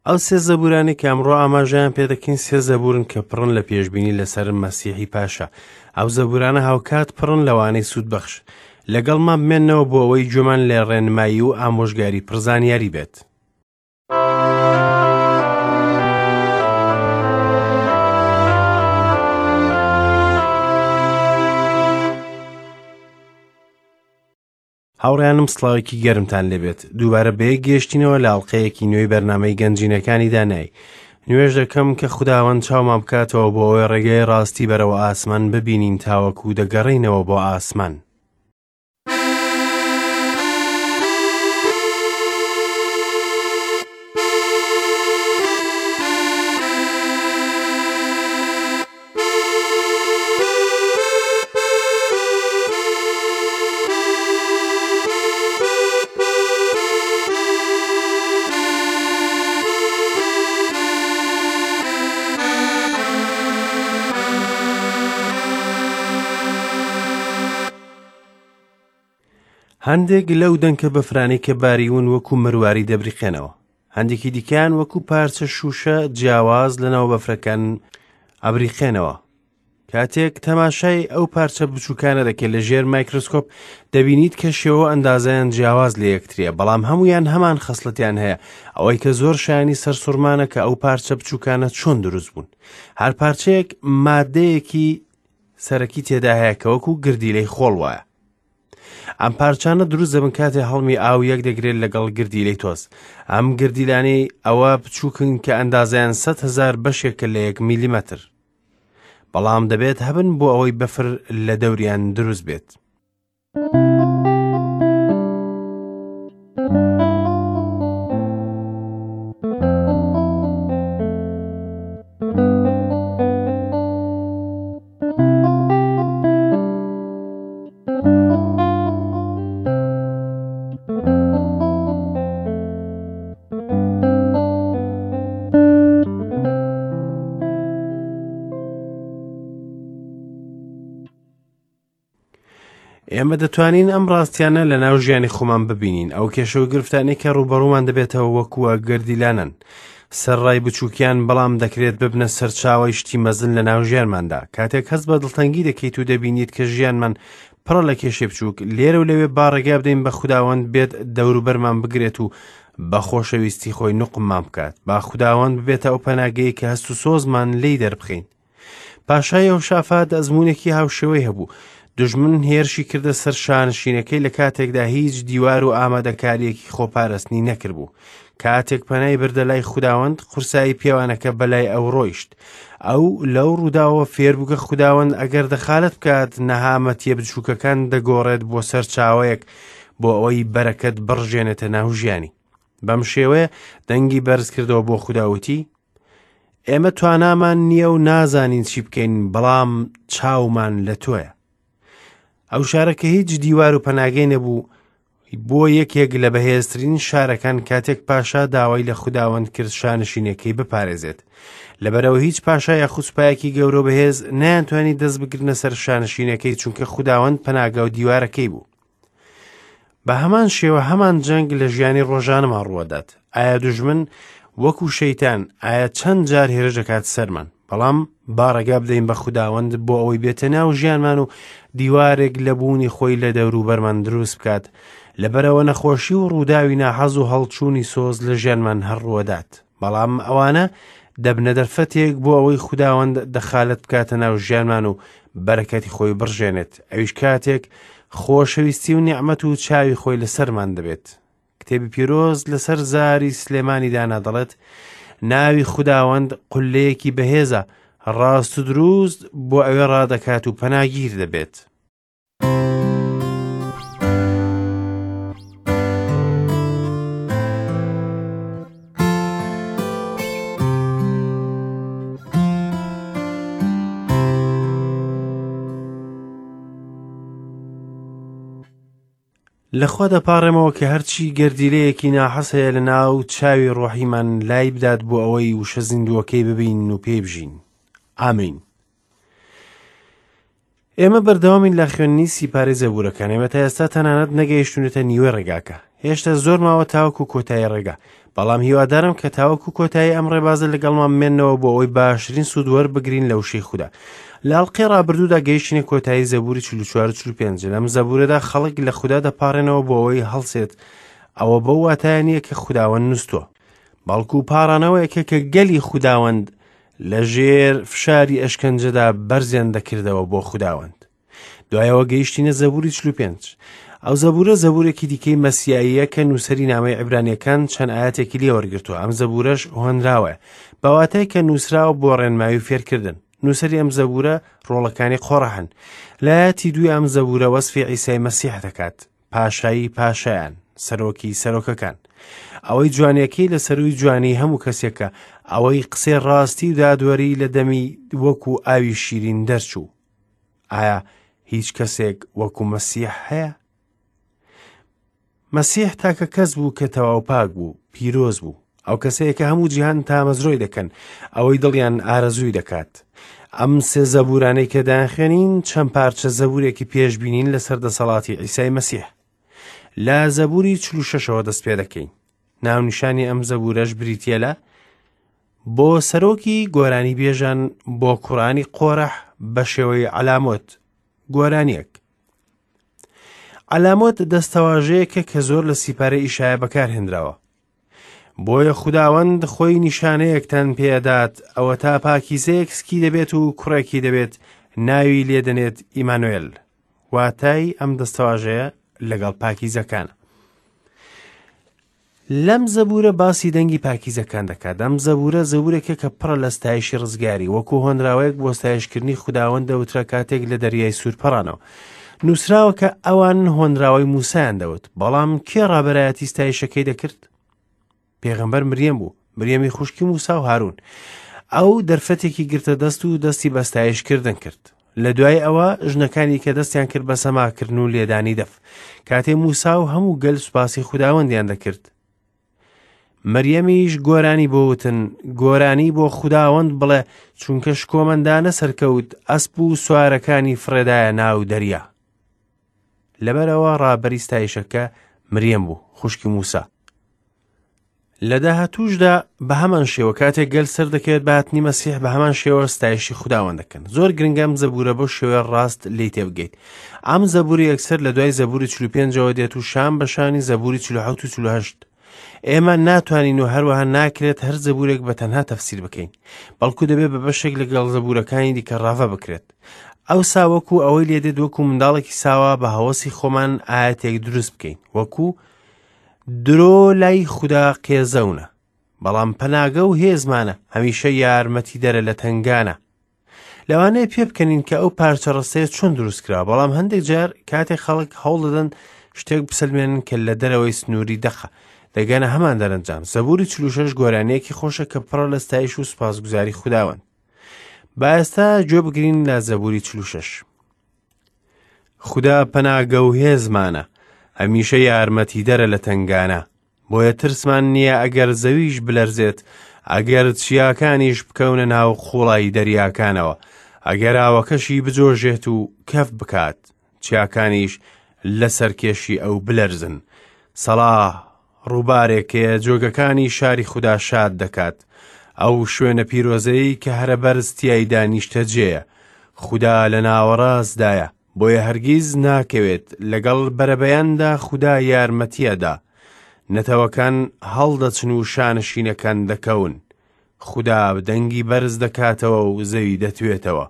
ئەو سێ زەبوورانەی کە ئەمڕۆ ئاماژەیان پێدەکەین سێ زەبوورن کە پڕن لە پێشبینی لەسەر مەسیحی پاشا. ئەو زەبوورانە هاوکات پڕن لەوانەی سوودبەخش. لەگەڵمان بمێنەوە بۆ ئەوەی گوێمان لە ڕێنمایی و ئامۆژگاری پڕزانیاری بێت. هاوڕێیانم سڵاوێکی گەرمتان لێبێت دووبارە بەیەک گەیشتینەوە لە ئەڵلقەیەکی نوێی بەرنامەی گەنجینەکانی دانایی نوێژ دەکەم کە خوداوەند چاومان بکاتەوە بۆ ئەوەی ڕێگەی ڕاستی بەرەوە ئاسمان ببینین تاوەکو دەگەڕێینەوە بۆ ئاسمان. هەندێک لەو دەنکە بەفرانەی کە باریون وەکو مرواری دەبریقێنەوە هەندێکی دیکەیان وەکو پارچە شووشە جیاواز لەناو بەفرەکان ئەبریقێنەوە کاتێک تەماشای ئەو پارچە بچووکانە دەکەیت لە ژێر مایکرۆسکۆپ دەبینیت کە شێوە ئەندازیان جیاواز لە یەکتریە بەڵام هەمویان هەمان خەسڵەتیان هەیە ئەوەی کە زۆر شایانی سەرسوڕمانە کە ئەو پارچە بچووکانە چۆن دروست بوون هەر پارچەیەک مادەیەکی سەرەکی تێدا هەیە کە وەکو گردیلەی خۆڵ وایە ئەم پارچانە دروست دەبن کاتێ هەڵمی ئاو یەک دەگرێت لەگەڵ گردیلەی تۆز ئەم گردیلانەی ئەوە بچووکن کە ئەندازیان 100 هزار بەشێکە لە یەک میلیمەتر بەڵام دەبێت هەبن بۆ ئەوەی بەفر لە دەوریان دروست بێت. ئێمە دەتوانین ئەم ڕاستیانە لە ناو ژیانی خۆمان ببینین ئەو کێشە و گرفتانەی کە ڕووبەڕوومان دەبێتەوە وەکووە گردیلانن سەرڕای بچووکیان بەڵام دەکرێت ببنە سەرچاوەی شتی مەزن لە ناو ژیانماندا کاتێک هەست بە دڵتەنگی دەکەیت و دەبینیت کە ژیانمان پڕە لە کێشەی بچووک لێرە و لەوێ با ڕێگا بدەین بە خوداوەند بێت دەوروبەرمان بگرێت و بە خۆشەویستی خۆی نوقممان بکات با خوداوەند ببێتە ئەو پەناگەیە کە هەست و سۆزمان لێی دەربخەین پاشای یەهۆشافات ئەزموونێکی هاوشێوەی هەبوو دوژمن هێرشی کردە سەر شانشینەکەی لە کاتێکدا هیچ دیوار و ئامادەکاریەکی خۆپارستنی نەکردبوو کاتێک پەنای بردە لای خوداوەند قورسایی پێوانەکە بەلای ئەو ڕۆیشت ئەو لەو ڕووداوە فێربوو کە خوداوەند ئەگەر دەخالەت بکات نەهامەتیە بچووکەکان دەگۆڕێت بۆ سەرچاوەیەک بۆ ئەوەی بەرەکەت بڕژێنێتە ناو ژیانی بەم شێوەیە دەنگی بەرز کردەوە بۆ خودا وتی ئێمە توانامان نییە و نازانین چی بکەین بەڵام چاومان لە تۆیە ئەو شارە کە هیچ دیوار و پەناگەی نەبوو بۆ یەکێک لە بەهێزترین شارەکان کاتێک پاشا داوای لە خوداوەند کرد شانشینەکەی بپارێزێت لەبەرەوە هیچ پاشا یاخود سوپایەکی گەورە بەهێز نەیانتوانی دەست بگرنە سەر شانشینەکەی چونکە خوداوەند پەناگە و دیوارەکەی بوو بە هەمان شێوە هەمان جەنگ لە ژیانی ڕۆژانەمان ڕووەدات ئایا دوژمن وەکو شەیتان ئایا چەند جار هێرش دەکات سەرمان بەڵام با ڕێگا بدەین بە خوداوەند بۆ ئەوەی بێتە ناو ژیانمان و دیوارێک لە بوونی خۆی لە دەوروبەرمان دروست بکات لەبەرەوە نەخۆشی و ڕووداوی ناحەز و هەڵچوونی سۆز لە ژیانمان هەر ڕووەدات بەڵام ئەوانە دەبنە دەرفەتێک بۆ ئەوەی خوداوەند دەخالەت بکاتە ناو ژیانمان و بەرەکەتی خۆی بڕژێنێت ئەویش کاتێک خۆشەویستی و نیعمەت و چاوی خۆی لەسەرمان دەبێت کتێبی پیرۆز لەسەر زاری سلێمانی دانا دەڵێت ناوی خوداوەند قولەیەکی بەهێزە ڕاست و دروست بۆ ئەوێ ڕادەکات و پەناگیر دەبێت. لە خوا دەپاڕێمەوە کە هەرچی گەردیلەیەکی ناحەز هەیە لە ناو چاوی ڕۆحیمان لای بدات بۆ ئەوەی وشە زیندووەکەی ببینن و پێی بژین. ئامین. ئێمە بەردەوامین لە خوێندنی سیپارەی زەبوورەکان ئێمە تا ئێستا تەنانەت نەگەیشتونەتە نیوەی ڕێگاکە هێشتا زۆر ماوە تاوەکو کۆتایی ڕێگا، بەڵام هیوادارم کە تاوەکو کۆتایی ئەم ڕێبازە لەگەڵمان بمێننەوە بۆ ئەوەی باشترین سوود وەربگرین لە وشەی خودا. لە ئەڵقەی ڕابردوودا گەیشتینە کۆتایی زەبوری 44 و 45. لەم زەبورەدا خەڵک لە خودا دەپاڕێنەوە بۆ ئەوەی هەڵسێت، ئەوە بەو واتایە نییە کە خوداوەند نووستووە، بەڵکو پاڕانەوەیەکە کە گەلی خوداوەند لە ژێر فشاری ئەشکەنجەدا بەرزیان دەکردەوە بۆ خوداوەند. دوایەوە گەیشتینە زەبوری 45. ئەو زەبورە زەبورێکی دیکەی مەسیاییە کە نووسەری نامەی عیبرانیەکان چەند ئاەتێکی لێ وەرگرتووە. ئەم زەبورەش هۆنراوەیە بە واتای کە نووسراوە بۆ ڕێنمایی و فێرکردن. نووسەری ئەم زەبورە ڕۆڵەکانی قۆڕەحن. لە ئایەتی دووی ئەم زەبورە وەسفی عیسای مەسیح دەکات، پاشایی پاشایان، سەرۆکی سەرۆکەکان. ئەوەی جوانیەکەی لە سەرووی جوانی هەموو کەسێکە، ئەوەی قسەی ڕاستی و دادوەری لە دەمی وەکو ئاوی شیرین دەرچوو. ئایا هیچ کەسێک وەکو مەسیح هەیە؟ مەسیح تاکە کەس بوو کە تەواو پاک بوو، پیرۆز بوو. ئەو کەسەیە کە هەموو جیهان تامەزرۆی دەکەن، ئەوەی دڵیان ئارەزووی دەکات. ئەم سێ زەبورانەی کە دەیانخوێنین چەند پارچە زەبورێکی پێشبینین لەسەر دەسەڵاتی عیسای مەسیح. لە زەبوری 46ەوە دەست پێ دەکەین. ناونیشانی ئەم زەبورەش بریتییە لە بۆ سەرۆکی گۆرانی بێژان بۆ کوڕانی قۆرەح بە شێوەی عەلامۆت گۆرانیەک. عەلامۆت دەستەواژەیەکە کە زۆر لە سیپارەی ئیشایە بەکارهێنراوە. بۆیە خوداوەند خۆی نیشانەیەکتان پێدات، ئەوە تا پاکیزەیەک سکی دەبێت و کوڕێکی دەبێت، ناوی لێدەنێت ئیمانوێل. واتای ئەم دەستەواژەیە لەگەڵ پاکیزەکانە. لەم زەبوورە باسی دەنگی پاکیزەکان دەکات. ئەم زەبوورە زەبوورێکە کە پڕە لە ستایشی ڕزگاری، وەکو هۆنراوەیەک بۆ ستایشکردنی خوداوەند دەوترا کاتێک لە دەریای سوور پەڕانەوە. نووسراوە کە ئەوان هۆنراوەی موسایان دەوت، بەڵام کێ ڕابەرایەتی ستایشەکەی دەکرد؟ پێغەمبەر مریەم بوو، مریەمی خوشکی موسا و هارون. ئەو دەرفەتێکی گرتە دەست و دەستی بە ستایشکردن کرد. لە دوای ئەوە ژنەکانی کە دەستیان کرد بە سەماکردن و لێدانی دەف. کاتێ موسا و هەموو گەل سوپاسی خوداوەندیان دەکرد. مریەمیش گۆرانی بۆ وتن، گۆرانی بۆ خوداوەند بڵێ، چونکە شکۆمەندانە سەرکەوت، ئەسپ و سوارەکانی فڕێدایە ناو دەریا. لەبەرئەوە ڕابەری ستایشەکە مریەم بوو، خوشکی موسا. لە داهاتووشدا بە هەمان شێوە کاتێک گەل سەردەکەوێت بە هاتنی مەسیح بە هەمان شێوە ستایشی خوداوەند دەکەن. زۆر گرنگە ئەم زەبوورە بەو شێوەیە ڕاست لێی تێبگەیت. ئەم زەبوورە یەکسەر لە دوای زەبووری 45ەوە دێت و شان بە شانی زەبووری 47 و 48. ئێمە ناتوانین و هەروەها ناکرێت هەر زەبوورێک بە تەنها تەفسیر بکەین، بەڵکو دەبێت بە بەشێک لەگەڵ زەبوورەکانی دیکە ڕاڤە بکرێت. ئەوسا وەکو ئەوەی لێدێت وەکو منداڵێکی ساوا بە هەوەسی خۆمان ئاەتێک دروست بکەین، وەکو درۆ لای خودا قێزەونە، بەڵام پەناگە و هێزمانە، هەمیشە یارمەتیدەرە لە تەنگانە. لەوانەیە پێ بکەنین کە ئەو پارچە ڕستەیە چۆن دروست کرا، بەڵام هەندێک جار کاتێک خەڵک هەوڵ دەدەن شتێک بسەلمێنن کە لە دەرەوەی سنووری دەقە، دەگەنە هەمان دەرەنجام. زەبوری 46 گۆرانییەکی خۆشە کە پڕە لە ستایش و سوپاسگوزاری خوداوەند. با ئێستا گوێ بگرین لە زەبوری 46. خودا پەناگە و هێزمانە، هەمیشە یارمەتیدەرە لە تەنگانە. بۆیە ترسمان نییە ئەگەر زەویش بلەرزێت، ئەگەر چیاکانیش بکەونە ناو قوڵایی دەریاکانەوە، ئەگەر ئاوەکەشی بجۆژێت و کەف بکات، چیاکانیش لە سەرکێشی ئەو بلەرزن. سەڵا ڕووبارێک هەیە جۆگەکانی شاری خودا شاد دەکات، ئەو شوێنە پیرۆزەی کە هەرە بەرز تیایدا نیشتەجێیە. خودا لە ناوەڕاستدایە، بۆیە هەرگیز ناکەوێت، لەگەڵ بەرەبەیاندا خودا یارمەتیەدا. نەتەوەکان هەڵدەچن و شانشینەکان دەکەون. خودا دەنگی بەرز دەکاتەوە و زەوی دەتوێتەوە.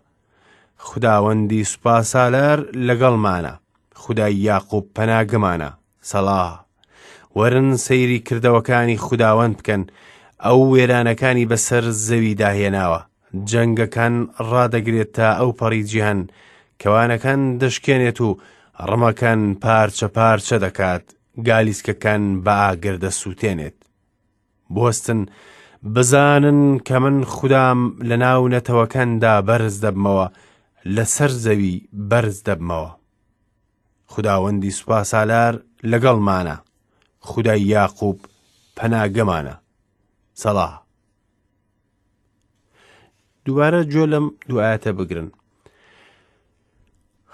خوداوەندی سوپاسالار لەگەڵمانە، خودای یاقوب پەناگەمانە. سەڵا. وەرن سەیری کردەوەکانی خوداوەند بکەن، ئەو وێرانەکانی بەسەر زەویدا هێناوە. جەنگەکان ڕادەگرێت تا ئەو پەڕی جیهان، کەوانەکان دەشکێنێت و ڕمەکان پارچە پارچە دەکات، گالیسکەکان بە ئاگر دەسووتێنێت. بوەستن، بزانن کە من خودام لەناو نەتەوەکاندا بەرز دەبمەوە، لەسەر زەوی بەرز دەبمەوە. خوداوەندی سوپاسالار لەگەڵمانە، خودای یاقوب پەناگەمانە. سەڵا. دووبارە گوێ لەم دوو ئایەتە بگرن.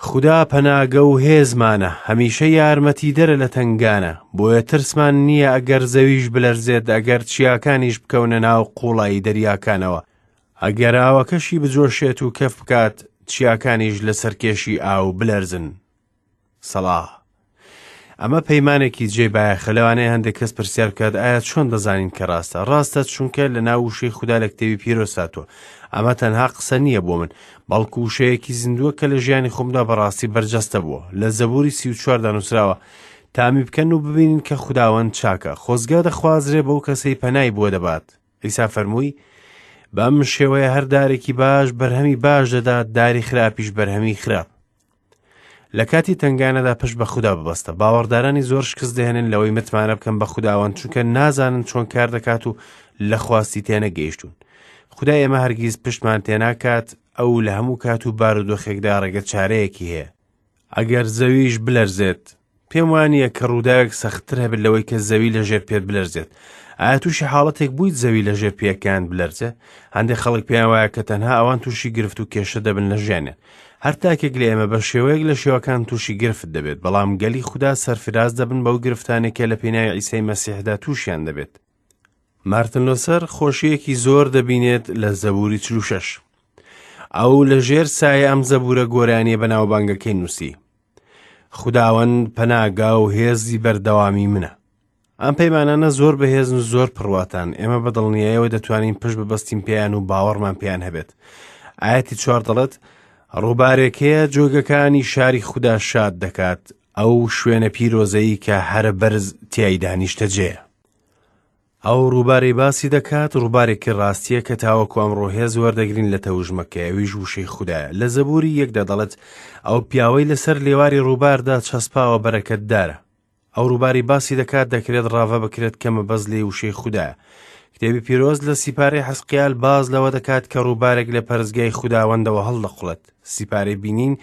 خودا پەناگە و هێزمانە، هەمیشە یارمەتیدەرە لە تەنگانە، بۆیە ترسمان نییە ئەگەر زەویش بلەرزێت، ئەگەر چیاکانیش بکەونە ناو قووڵایی دەریاکانەوە، ئەگەر ئاوەکەشی بجۆشێت و کەف بکات، چیاکانیش لە سەرکێشی ئاو بلەرزن. سەڵا. ئەمە پەیمانێکی جێی بایەخە. لەوانەیە هەندێک کەس پرسیار بکات ئایا چۆن دەزانین کە ڕاستە؟ ڕاستە چونکە لە ناو وشەی خودا لە کتێبی پیرۆز هاتووە. ئەمە تەنها قسە نییە بۆ من، بەڵکو وشەیەکی زیندووە کە لە ژیانی خۆمدا بەڕاستی بەرجەستە بووە. لە زەبوری 34دا نووسراوە تامی بکەن و ببینن کە خوداوەند چاکە، خۆزگە دەخوازرێ بەو کەسەی پەنای بۆ دەبات. عیسا فەرمووی بەم شێوەیە هەر دارێکی باش بەرهەمی باش دەدات، داری خراپیش بەرهەمی خراپ. لە کاتی تەنگانەدا پشت بە خودا ببەستە. باوەڕدارانی زۆر شکست دەهێنن لەوەی متمانە بکەن بە خوداوەند، چونکە نازانن چۆن کار دەکات و لە خواستی تێنەگەیشتوون. خودای ئێمە هەرگیز پشتمان تێناکات، ئەو لە هەموو کات و بارودۆخێکدا ڕێگە چارەیەکی هەیە. ئەگەر زەویش بلەرزێت، پێم وانییە کە ڕووداوێک سەختتر هەبێت لەوەی کە زەوی لە ژێر پێت بلەرزێت. ئایا تووشی حاڵەتێک بوویت زەوی لە ژێر پێیەکانت بلەرزێ؟ هەندێک خەڵک پێیان وایە کە تەنها ئەوان تووشی گرفت و کێشە دەبن لە ژیانیان. هەر تاکێک لە ئێمە بە شێوەیەک لە شێوەکان تووشی گرفت دەبێت، بەڵام گەلی خودا سەرفراز دەبن بەو گرفتانەی کە لە پێناوی عیسای مەسیحدا تووشیان دەبێت. مارتن لۆسەر خۆشییەکی زۆر دەبینێت لە زەبوری 46. ئەو لە ژێر سایە ئەم زەبورە گۆرانیە بەناوبانگەکەی نووسی. خوداوەند پەناگا و هێزی بەردەوامی منە. ئەم پەیمانانە زۆر بەهێزن و زۆر پڕواتان، ئێمە بە دڵنیایەوە دەتوانین پشت ببەستین پێیان و باوەڕمان پێیان هەبێت. ئاەتی چوار دەڵێت ڕووبارێک هەیە جۆگەکانی شاری خودا شاد دەکات، ئەو شوێنە پیرۆزەیی کە هەرە بەرز تیایدا نیشتەجێیە. ئەو ڕووبارەی باسی دەکات ڕووبارێکی ڕاستییە کە تاوەکو ئەمڕۆ هێز وەردەگرین لە تەوژمەکەی، ئەویش وشەی خودایە. لە زەبوری یەکدا دەڵێت ئەو پیاوەی لەسەر لێواری ڕووباردا چەسپاوە بەرەکەتدارە. ئەو ڕووباری باسی دەکات دەکرێت ڕاڤە بکرێت کە مەبەست لێی وشەی خودایە. کتێبی پیرۆز لە سیپارەی حەزقیال باز لەوە دەکات کە ڕووبارێک لە پەرستگای خوداوەندەوە هەڵدەقوڵێت. سیپارەی بینین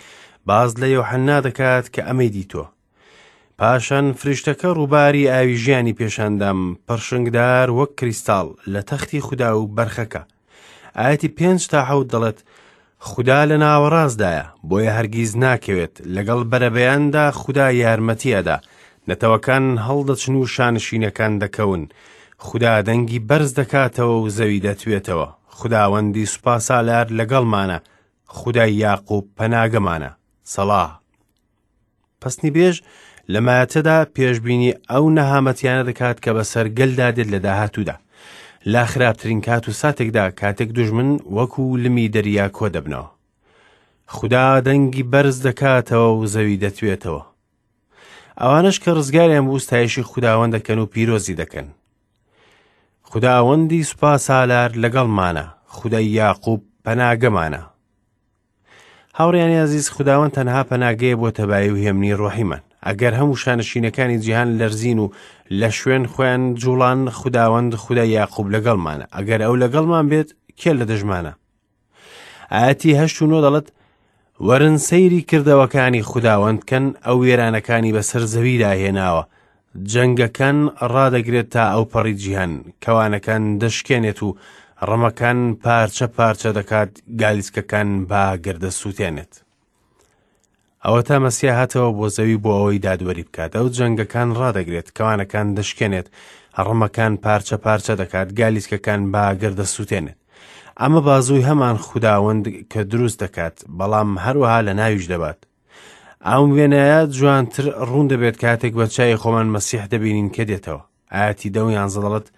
باز لە یۆحەننا دەکات کە ئەمەی دیتووە. پاشان فریشتەکە ڕووباری ئاوی ژیانی پێشاندام، پڕشنگدار وەک کریستاڵ لە تەختی خودا و بەرخەکە. ئایەتی پێنج تا حەوت دەڵێت خودا لە ناوەڕاستدایە، بۆیە هەرگیز ناکەوێت، لەگەڵ بەرەبەیاندا خودا یارمەتی ئەدا، نەتەوەکان هەڵدەچن و شانشینەکان دەکەون، خودا دەنگی بەرز دەکاتەوە و زەوی دەتوێتەوە، خوداوەندی سوپاسالار لەگەڵمانە، خودای یاقوب پەناگەمانە. سەڵا. پەسنی بێژ لە مایەتەدا پێشبینی ئەو نەهامەتیانە دەکات کە بەسەر گەلدا دێت لە داهاتوودا. لە خراپترین کات و ساتێکدا کاتێک دوژمن وەکو لمی دەریا کۆ دەبنەوە. خودا دەنگی بەرز دەکاتەوە و زەوی دەتوێتەوە. ئەوانەش کە ڕزگاریان بوو ستایشی خوداوەند دەکەن و پیرۆزی دەکەن. خوداوەندی سوپا سالار لەگەڵمانە، خودای یاقوب پەناگەمانە. هاوڕیانی ئازیز خوداوەند تەنها پەناگەیە بۆ تەبایی و هێمنی ڕۆحیمان ئەگەر هەموو شانشینەکانی جیهان لەرزین و لە شوێن خۆیان جوڵان خوداوەند خودای یاقوب لەگەڵمانە ئەگەر ئەو لەگەڵمان بێت کێ لە دژمانە ئاەتی هەشت و نۆ دەڵێت وەرن سەیری کردەوەکانی خوداوەند کەن ئەو وێرانەکانی بەسەر زەویدا هێناوە جەنگەکان ڕادەگرێت تا ئەوپەڕی جیهان، کەوانەکان دەشکێنێت و ڕمەکان پارچە پارچە دەکات، گالیسکەکان بە ئاگر دەسووتێنێت. ئەوەتا مەسیا هاتەوە بۆ زەوی بۆ ئەوەی دادوەری بکات. ئەو جەنگەکان ڕادەگرێت، کەوانەکان دەشکێنێت، ڕمەکان پارچە پارچە دەکات، گالیسکەکان بە ئاگر دەسووتێنێت. ئەمە بازووی هەمان خوداوەند کە دروست دەکات، بەڵام هەروەها لە ناویش دەبات. ئەم وێنایە جوانتر ڕوون دەبێت کاتێک بە چاوی خۆمان مەسیح دەبینین کە دێتەوە. ئاەتی دە و یانزە دەڵێت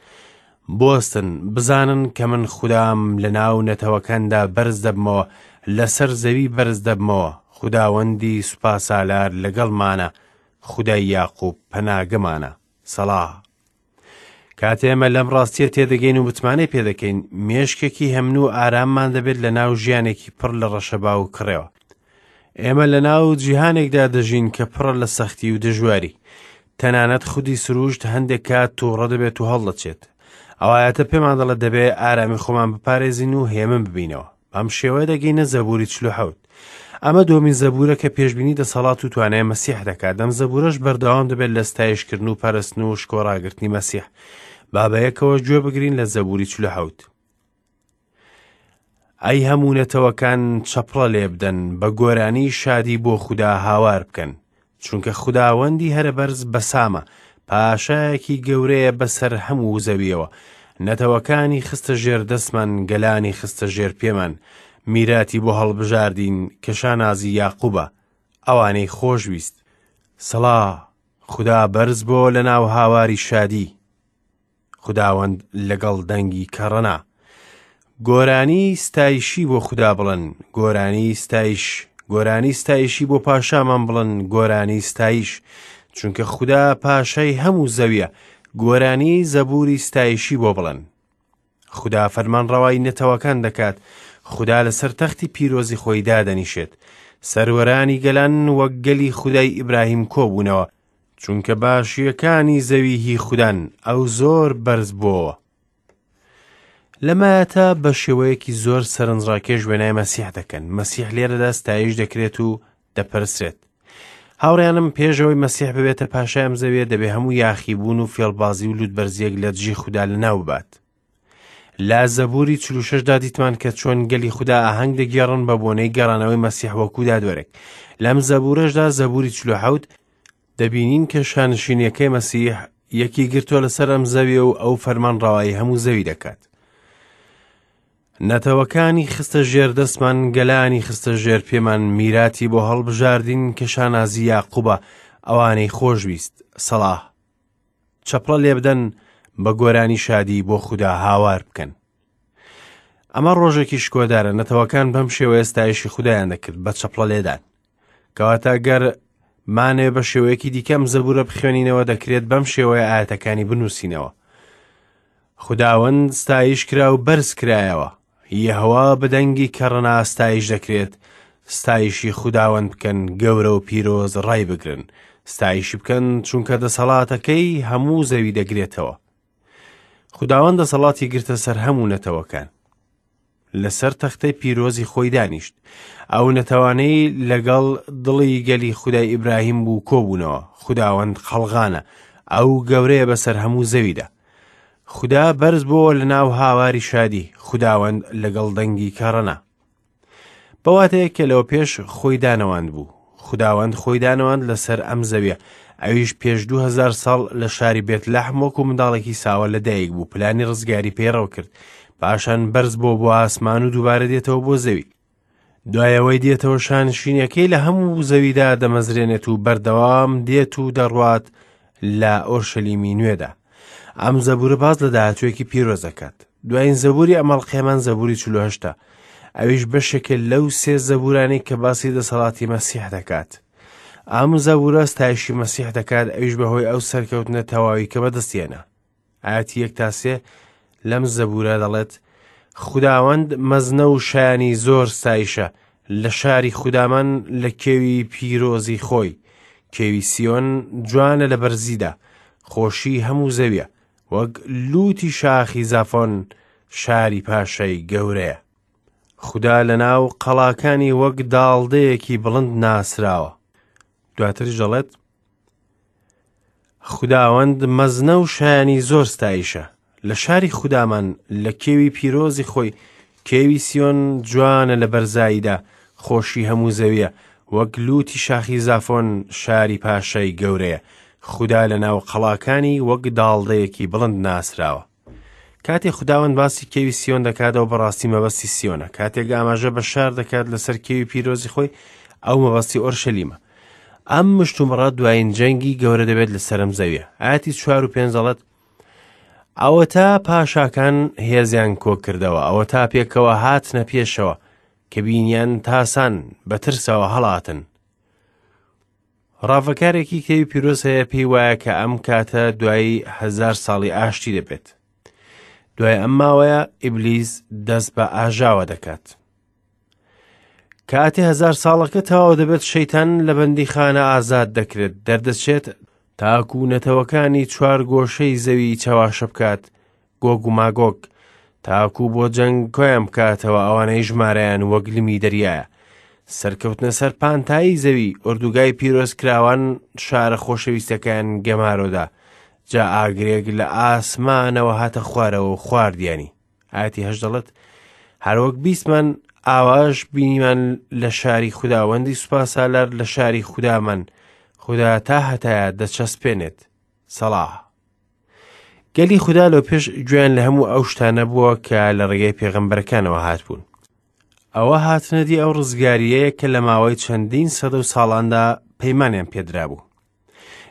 بۆستن بزانن کە من خودام لە ناو نەتەوەکاندا بەرز دەبمەوە لەسەر زەوی بەرز دەبمەوە خوداوەندی سوپاسالار لەگەڵمانە خودای یاقوب پەناگەمانە سەڵا کاتێ ئێمە لەم ڕاستیە تێدەگەین و متمانەی پێدەکەین مێشکێکی هەمن و ئاراممان دەبێت لە ناو ژیانێکی پڕ لە ڕەشەبا و کڕێوە ئێمە لە ناو جیهانێکدا دەژین کە پڕە لە سەختی و دژواری تەنانەت خودی سروشت هەندێک کات تووڕە دەبێت و هەڵدەچێت ئەوایەتە پێمان دەڵێت دەبێ ئارامی خۆمان بپارێزین و هێمن ببینەوە بەم شێوەیە دەگەینە زەبوری 47. ئەمە دووەمین زەبورە کە پێشبینی دەسەڵات و توانای مەسیح دەکات. ئەم زەبورەش بەردەوام دەبێت لە ستایشکردن و پەرستن و شکۆ ڕاگرتنی مەسیح. با بەیەکەوە گوێ بگرین لە زەبوری 47. ئەی هەموو نەتەوەکان چەپڵە لێبدەن، بە گۆرانی شادی بۆ خودا هاوار بکەن. چونکە خوداوەندی هەرەبەرز بەسامە، پاشایەکی گەورەیە بەسەر هەموو زەویەوە. نەتەوەکانی خستە ژێر دەستمان، گەلانی خستە ژێر پێمان. میراتی بۆ هەڵبژاردین کە شانازی یاقوبە، ئەوانەی خۆشویست. سڵا، خودا بەرز بۆ لەناو هاواری شادی. خوداوەند لەگەڵ دەنگی کەڕەنا. گۆرانی ستایشی بۆ خودا بڵێن، گۆرانی ستایش، گۆرانی ستایشی بۆ پاشامان بڵێن، گۆرانی ستایش، چونکە خودا پاشای هەموو زەویە، گۆرانی زەبوری ستایشی بۆ بڵێن. خودا فەرمانڕەوای نەتەوەکان دەکات، خودا لەسەر تەختی پیرۆزی خۆی دادەنیشێت. سەروەرانی گەلان وەک گەلی خودای ئیبراهیم کۆبوونەوە، چونکە باشییەکانی زەوی هی خودان، ئەو زۆر بەرز بۆوە. لەمایەتە بە شێوەیەکی زۆر سەرنجڕاکێش وێنای مەسیح دەکەن. مەسیح لێرەدا ستایش دەکرێت و دەپەرسرێت. هاوڕێیانم پێشەوەی مەسیح ببێتە پاشای ئەم زەویە دەبێ هەموو یاخیبوون و فێڵبازی و لوتبەرزیەک لە دژی خودا لەناو ببات. لە زەبوری 46 دا دیتمان کە چۆن گەلی خودا ئاهەنگ دەگێڕن بە بۆنەی گەڕانەوەی مەسیح وەکو دادوەرێک. لەم زەبورەشدا زەبوری 47 دەبینین کە شانشینیەکەی مەسیح یەکی گرتووە لەسەر ئەم زەویە و ئەو فەرمان ڕەوایی هەموو زەوی دەکات. نەتەوەکانی خستە ژێر دەستمان، گەلانی خستە ژێر پێمان، میراتی بۆ هەڵبژاردین کە شانازی یاقوبە، ئەوانەی خۆشویست. سەڵاح. چەپڵە لێبدەن، بە گۆرانی شادی بۆ خودا هاوار بکەن. ئەمە ڕۆژێکی شکۆدارە، نەتەوەکان بەم شێوەیە ستایشی خودایان دەکرد بە چەپڵە لێدان. کەواتە گەر مانەوێ بە شێوەیەکی دیکەم زەبورە بخوێنینەوە دەکرێت بەم شێوەیە ئاەتەکانی بنووسینەوە. خوداوەند ستایش کرا و بەرز کرایەوە. یەهوا بە دەنگی کەڕەنا ستایش دەکرێت، ستایشی خوداوەند بکەن، گەورە و پیرۆز ڕایبگرن. ستایشی بکەن چونکە دەسەڵاتەکەی هەموو زەوی دەگرێتەوە. خوداوەند دەسەڵاتی گرتە سەر هەموو نەتەوەکان. لەسەر تەختەی پیرۆزی خۆی دانیشت. ئەو نەتەوانەی لەگەڵ دڵی گەلی خودای ئیبراهیم بوو کۆبوونەوە. خوداوەند قەڵغانە، ئەو گەورەیە بەسەر هەموو زەویدا. خودا بەرز بۆوە لە ناو هاواری شادی، خوداوەند لەگەڵ دەنگی کەڕەنا. بە واتەیەک کە لەوە پێش خۆی دانەواند بوو. خوداوەند خۆی دانەواند لەسەر ئەم زەویە، ئەویش پێش 2000 ساڵ لە شاری بێت لەحم وەکو منداڵێکی ساوە لەدایک بوو، پلانی ڕزگاری پەیڕەو کرد، پاشان بەرز بۆ بۆ ئاسمان و دووبارە دێتەوە بۆ زەوی. دوای ئەوەی دێتەوە شانشینەکەی لە هەموو زەویدا دەمەزرێنێت و بەردەوام دێت و دەڕوات لە ئۆرشەلیمی نوێدا. ئەم زەبورە باس لە داهاتوویەکی پیرۆز دەکات. دوایین زەبوری ئەم ئەڵقەیەمان زەبوری 48ە. ئەویش بەشێکە لەو سێ زەبورانەی کە باسی دەسەڵاتی مەسیح دەکات. ئەم زەبورە ستایشی مەسیح دەکات، ئەویش بەهۆی ئەو سەرکەوتنە تەواوی کە بەدەستی هێنا. ئاەتی 1 تا 3 لەم زەبورە دەڵێت خوداوەند مەزنە و شایانی زۆر ستایشە لە شاری خودامان لە کێوی پیرۆزی خۆی. کێوی سیۆن جوانە لە بەرزیدا، خۆشی هەموو زەویە، وەک لووتی شاخی زافۆن شاری پاشای گەورەیە. خودا لە ناو قەڵاکانی وەک داڵدەیەکی بڵند ناسراوە. دواتریش دەڵێت خوداوەند مەزنە و شایانی زۆر ستایشە لە شاری خودامان لە کێوی پیرۆزی خۆی، کێوی سیۆن جوانە لە بەرزاییدا، خۆشی هەموو زەویە، وەک لووتی شاخی زافۆن شاری پاشای گەورەیە. خودا لە ناو قەڵاکانی وەک داڵدەیەکی بڵند ناسراوە. کاتێ خوداوەند باسی کێوی سیۆن دەکاتەوە بەڕاستی مەبەستی سیۆنە. کاتێک ئاماژە بە شار دەکات لەسەر کێوی پیرۆزی خۆی، ئەو مەبەستی ئۆرشەلیمە. ئەم مشتومڕە دوایین جەنگی گەورە دەبێت لەسەر ئەم زەویە. ئاەتی 4 و 5 دەڵێت ئەوەتا پاشاکان هێزیان کۆکردەوە، ئەوەتا پێکەوە هاتنە پێشەوە، کە بینیان تاسان بە ترسەوە هەڵاتن. ڕاڤەکارێکی کتێبی پیرۆز هەیە پێی وایە کە ئەم کاتە دوای 1000 ساڵی ئاشتی دەبێت. دوای ئەم ماوەیە ئیبلیس دەست بە ئاژاوە دەکات. کاتێ 1000 ساڵەکە تەواو دەبێت شەیتان لە بەندیخانە ئازاد دەکرێت، دەردەچێت تاکو نەتەوەکانی چوار گۆشەی زەوی چەواشە بکات، گۆگ و ماگۆگ، تاکو بۆ جەنگ کۆیان بکاتەوە ئەوانەی ژمارەیان وەک لمی دەریایە. سەرکەوتنە سەر پانتایی زەوی، ئۆردوگای پیرۆزکراوان شارە خۆشەویستەکەیان گەمارۆدا، جا ئاگرێک لە ئاسمانەوە هاتە خوارەوە و خواردیانی. ئاەتی 8 دەڵێت هەروەک بیستمان ئاواش بینیمان لە شاری خوداوەندی سوپاسالار لە شاری خودامان خودا تا هەتایە دەچەسپێنێت. سەڵاح. گەلی خودا لەو پێش گوێیان لە هەموو ئەو شتانە بووە کە لە ڕێگەی پێغەمبەرەکانەوە هاتبوون. ئەوە هاتنەدی ئەو ڕزگاریەیە کە لە ماوەی چەندین سەدە و ساڵاندا پەیمانیان پێدرابوو.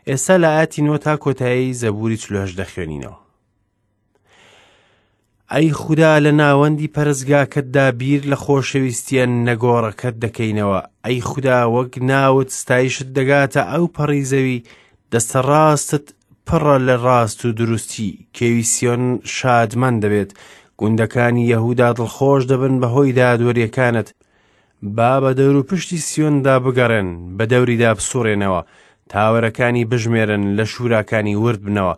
ئێستا لە ئاەتی نۆ تا کۆتایی زەبوری 48 دەخوێنینەوە. ئەی خودا لە ناوەندی پەرستگاکەتدا بیر لە خۆشەویستیە نەگۆڕەکەت دەکەینەوە ئەی خودا وەک ناوت ستایشت دەگاتە ئەو پەڕی زەوی دەستە ڕاستت پڕە لە ڕاست و دروستی کێوی سیۆن شادمان دەبێت گوندەکانی یەهودا دڵخۆش دەبن بەهۆی دادوەریەکانت با بە دەوروپشتی سیۆندا بگەڕێن، بە دەوریدا بسوڕێنەوە، تاوەرەکانی بژمێرن، لە شووراکانی ورد بنەوە،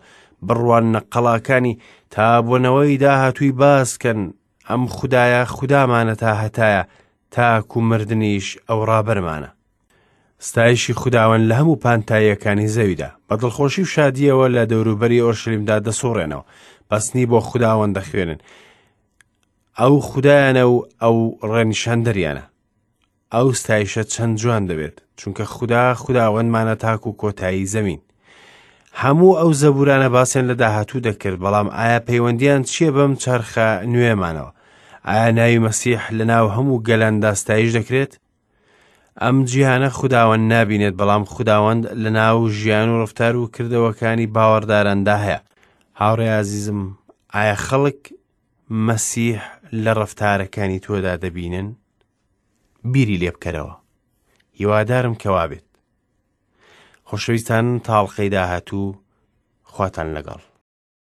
بڕواننە قەڵاکانی، تا بۆ نەوەی داهاتووی باس کەن، ئەم خودایە خودامانە تا هەتایە، تاکو مردنیش ئەو ڕابەرمانە. ستایشی خوداوەند لە هەموو پانتاییەکانی زەویدا، بە دڵخۆشی و شادییەوە لە دەوروبەری ئۆرشەلیمدا دەسوڕێنەوە، پەسنی بۆ خوداوەند دەخوێنن، ئەو خودایانە و ئەو ڕێنیشاندەریانە. ئەو ستایشە چەند جوان دەبێت، چونکە خودا خوداوەندمانە تاکو کۆتایی زەمین. هەموو ئەو زەبورانە باسیان لە داهاتوو دەکرد، بەڵام ئایا پەیوەندیان چییە بەم چەرخە نوێمانەوە؟ ئایا ناوی مەسیح لە ناو هەموو گەلاندا ستایش دەکرێت؟ ئەم جیهانە خوداوەند نابینێت، بەڵام خوداوەند لە ناو ژیان و ڕفتار و کردەوەکانی باوەڕداراندا هەیە. هاوڕێ ئازیزم، ئایا خەڵک مەسیح لە ڕەفتارەکانی تۆدا دەبینن؟ بیری لێ بکەرەوە. هیوادارم کە وابێت. خۆشەویستان تاڵقەی داهاتوو خواتان لەگەڵ.